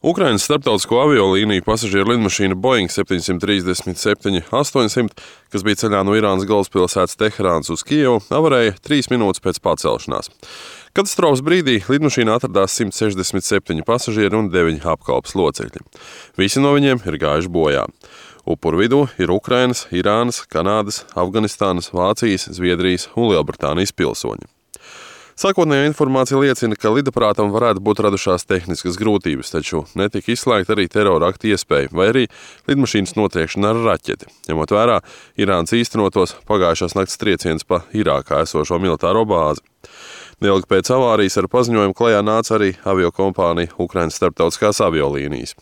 Ukrainas starptautisko aviolīniju pasažieru lidmašīna Boeing 737-800, kas bija ceļā no Irānas galvaspilsētas Teherānas uz Kijevu, avarēja 3 minūtes pēc pacelšanās. Katastrofas brīdī lidmašīnā atradās 167 pasažieri un 9 apkalpes locekļi. Visi no viņiem ir gājuši bojā. Upuru vidū ir Ukrainas, Irānas, Kanādas, Afganistānas, Vācijas, Zviedrijas un Lielbritānijas pilsoņi. Sākotnējā informācija liecina, ka lidaparātam varētu būt radušās tehniskas grūtības, taču netika izslēgta arī terora akta iespēja vai arī lidmašīnas notriekšana ar raķeti, ņemot vērā Irānas īstenotos pagājušās nakts trieciens pa Irākā esošo militāro bāzi. Neilgi pēc avārijas ar paziņojumu klajā nāca arī aviokompānija Ukrainas starptautiskās aviolīnijas.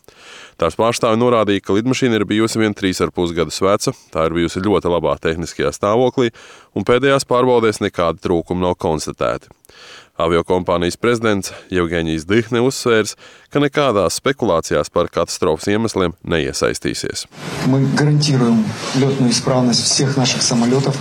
Tās pārstāvi norādīja, ka lidmašīna ir bijusi vien 3,5 gadus veca, tā ir bijusi ļoti labā tehniskajā stāvoklī un pēdējās pārbaudēs nekādi trūkumi nav konstatēti. Aviokompānijas prezidents Jevgeņijs Dihne uzsvērs, ka nekādās spekulācijās par katastrofas iemesliem neiesaistīsies. Мы гарантируем лётную исправность всех наших самолетов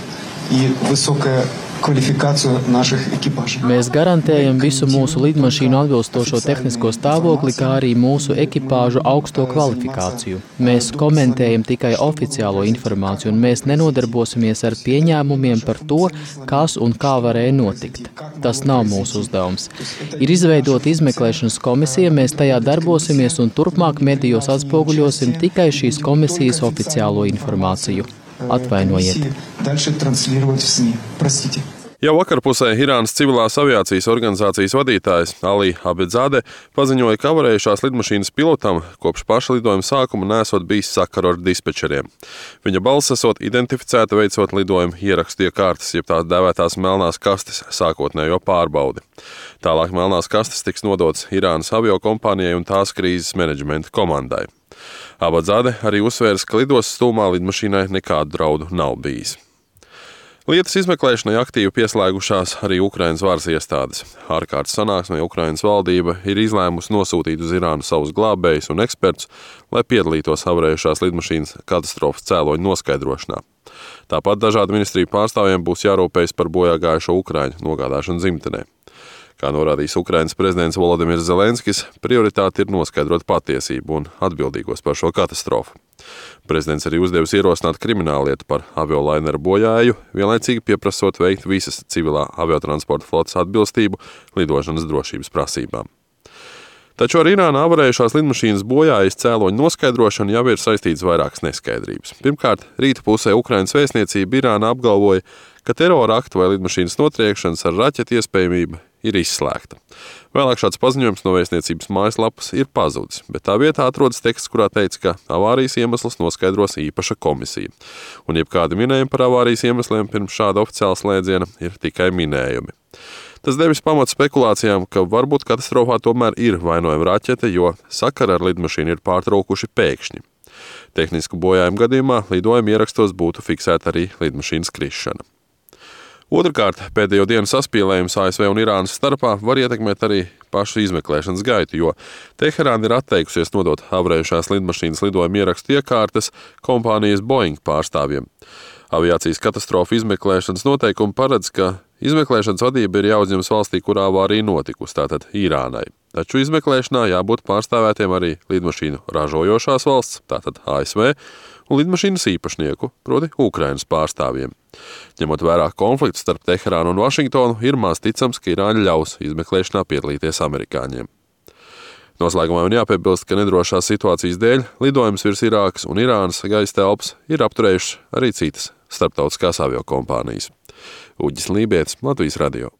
и высокая kvalifikāciju našих ekipāžu. Mēs garantējam visu mūsu lidmašīnu atbilstošo tehnisko stāvokli, kā arī mūsu ekipāžu augsto kvalifikāciju. Mēs komentējam tikai oficiālo informāciju, un mēs nenodarbosimies ar pieņēmumiem par to, kas un kā varēja notikt. Tas nav mūsu uzdevums. Ir izveidota izmeklēšanas komisija, mēs tajā darbosimies un turpmāk medijos atspoguļosim tikai šīs komisijas oficiālo informāciju. Atvainojiet. Jau vakarpusē Irānas civilās aviācijas organizācijas vadītājs Ali Abedzade paziņoja, ka avarējušās lidmašīnas pilotam kopš paša lidojuma sākuma nesot bijis sakaru ar dispečeriem. Viņa balss esot identificēta veicot lidojuma ierakstu iekārtas, jeb tās dēvētās melnās kastes sākotnējo pārbaudi. Tālāk melnās kastes tiks nodotas Irānas aviokompānijai un tās krīzes menedžmenta komandai. Abadzade arī uzsvērs, ka lidostas stūmā lidmašīnai nekādu draudu nav bijis. Lietas izmeklēšanai aktīvi pieslēgušās arī Ukrainas varas iestādes. Ārkārtas sanāksmē Ukrainas valdība ir izlēmusi nosūtīt uz Irānu savus glābējus un ekspertus, lai piedalītos avarējušās lidmašīnas katastrofas cēloņu noskaidrošanā. Tāpat dažādu ministriju pārstāvjiem būs jārūpējas par bojā gājušo ukraiņu nogādāšanu dzimtenē. Kā norādījis Ukrainas prezidents Volodimirs Zelenskis, prioritāte ir noskaidrot patiesību un atbildīgos par šo katastrofu. Prezidents arī uzdevis ierosināt krimināllietu par aviolaineru bojāju, vienlaicīgi pieprasot veikt visas civilā aviotransporta flotes atbilstību lidošanas drošības prasībām. Taču ar Irānā avarējušās lidmašīnas bojājas cēloņu noskaidrošanu jau ir saistīts vairākas neskaidrības. Pirmkārt, rīta pusē Ukrainas vēstniecība Irānā apgalvoja, ka terora aktu vai lidmašīnas notriekšanas ar raķeti iespējamība ir izslēgta. Vēlāk šāds paziņojums no vēstniecības mājaslapas ir pazudis, bet tā vietā atrodas teksts, kurā teica, ka avārijas iemeslus noskaidros īpaša komisija. Un jebkādi minējumi par avārijas iemesliem pirms šāda oficiāla slēdziena ir tikai minējumi. Tas devis pamatu spekulācijām, ka varbūt katastrofā tomēr ir vainojama raķete, jo sakara ar lidmašīnu ir pārtraukuši pēkšņi. Tehnisku bojājumu gadījumā lidojuma ierakstos būtu fiksēta arī lidmašīnas krišana. Otrkārt, pēdējo dienu saspīlējums ASV un Irānas starpā var ietekmēt arī pašu izmeklēšanas gaitu, jo Teherāna ir atteikusies nodot avarējušās lidmašīnas lidojuma ierakstu iekārtas kompānijas Boeing pārstāvjiem. Aviācijas katastrofu izmeklēšanas noteikumi paredz, ka izmeklēšanas vadība ir jāuzņemas valstī, kurā avārija notikusi, tātad Irānai. Taču izmeklēšanā jābūt pārstāvētiem arī lidmašīnu ražojošās valsts, tātad ASV, un lidmašīnas īpašnieku, proti Ukrainas pārstāvjiem. Ņemot vērā konfliktu starp Teherānu un Vašingtonu, ir maz ticams, ka Irāņi ļaus izmeklēšanā piedalīties amerikāņiem. Noslēgumā man jāpiebilst, ka nedrošās situācijas dēļ lidojums virs Irākas un Irānas gaisa telpas ir apturējušas arī citas starptautiskās aviokompānijas. Uģis Lībietis, Latvijas radio.